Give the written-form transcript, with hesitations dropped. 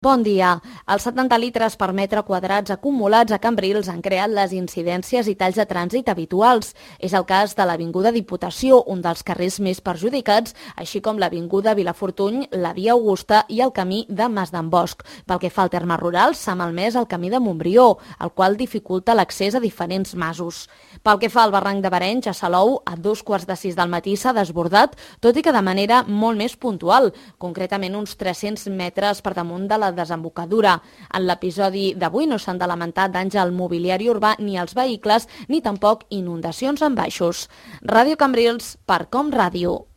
Bon dia. Els 70 litres per metre quadrats acumulats a Cambrils han creat les incidències i talls de trànsit habituals. És el cas de l'Avinguda Diputació, un dels carrers més perjudicats, així com l'Avinguda Vilafortuny, la Via Augusta i el camí de Mas d'en Bosch. Pel que fa al terme rural, s'ha malmès el camí de Montbrió, el qual dificulta l'accés a diferents masos. Pel que fa al barranc de Barenys, a Salou, a 5:45 del matí s'ha desbordat, tot i que de manera molt més puntual, concretament uns 300 metres per damunt de la desembocadura. En l'episodi d'avui no s'han de lamentar danys al mobiliari urbà ni als vehicles, ni tampoc inundacions en baixos. Ràdio Cambrils, per Com Ràdio.